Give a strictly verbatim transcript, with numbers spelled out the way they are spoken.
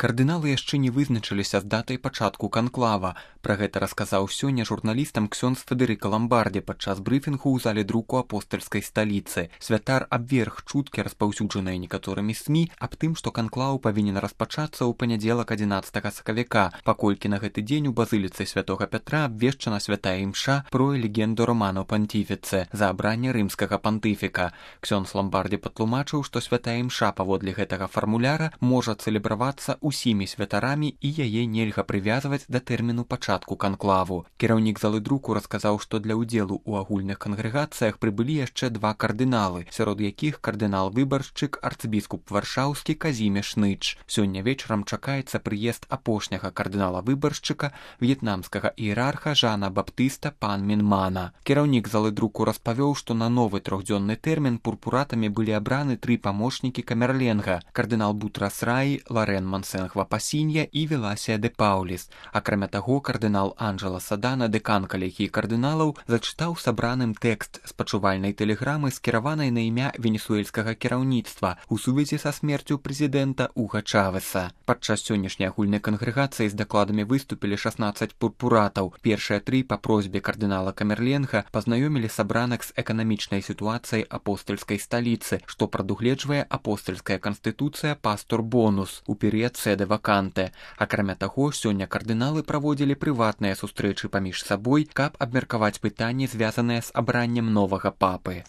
Кардыналы яшчэ не вызначыліся з датай пачатку канклава. Пра гэта расказаў сёння журналістам ксёндз Федэрыка Ламбардзі падчас брыфінгу ў зале друку апостальскай сталіцы. Святар абверг чуткі, распаўсюджаныя некаторымі СМІ, аб тым, што канклаў павінен распачацца ў панядзелак адзінаццатага сакавіка, паколькі на гэты дзень у базыліцы святога Пятра абвешчана святая імша про легенду Романо Пантифіце за абранне рымскага пантыфіка. Ксёндз Ламбардзі патлумачыў, што святая імша паводле гэтага фармуляра можа цэлебравацца усімі святарамі і яе нельга прывязваць да тэрміну пачатку канклаву. Кіраўнік залы друку расказаў, што для ўдзелу ў агульных кангрэгацыях прыбылі яшчэ два кардыналы, сярод якіх кардынал-выбаршчык арцыбіскуп варшаўскі Казімеш Ныч. Сёння вечарам чакаецца прыезд апошняга кардынала-выбаршчыка, в'етнамскага іерарха Жана Баптыста пан Мінмана. Кіраўнік залы друку распавёў, што на новы трохдзённы тэрмін пурпуратамі былі абраны тры памочнікі камерленга: кардынал Бутрас Раі, Ларен Мансенг Вапасінья і Веласія де Пауліс. Акрамя таго, кардынал Анджела Садана, дэкан калегіі кардыналаў, зачытаў сабраным тэкст спачувальнай тэлеграмы, скіраванай на імя венесуэльскага кіраўніцтва у сувязі са смерцю прэзідэнта Уга Чавеса. Падчас сённяшняй агульнай кангрэгацыі з дакладамі выступілі шаснаццаць пурпуратаў. Першыя тры па просьбе кардынала Камерленга пазнаёмілі сабраных з эканамічнай сітуацыяй апостальскай сталіцы, што прадугледжвае апостальская канстытуцыя Пастор Бонус у перыяд сэдэ ваканте. Акрамя таго, сёння кардыналы праводзілі прыватныя сустрэчы паміж сабой, каб абмеркаваць пытанні, звязаныя з абраннем новага папы.